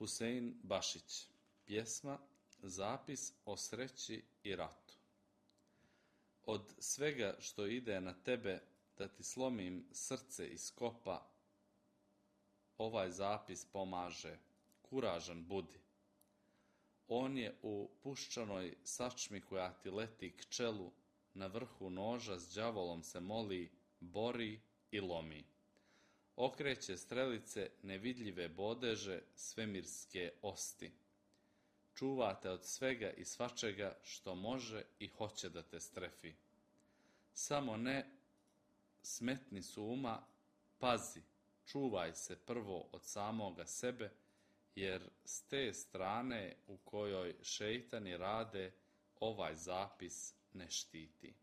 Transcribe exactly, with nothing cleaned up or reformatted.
Husein Bašić. Pjesma Zapis o sreći i ratu. Od svega što ide na tebe da ti slomim srce iz kopa, ovaj zapis pomaže, kuražan budi. On je u puščanoj sačmi koja ti leti k čelu, na vrhu noža s đavolom se moli, bori i lomi. Okreće strelice nevidljive bodeže svemirske osti. Čuvate od svega i svačega što može i hoće da te strefi. Samo ne smetni su uma, pazi, čuvaj se prvo od samoga sebe, jer s te strane u kojoj šeitani rade ovaj zapis ne štiti.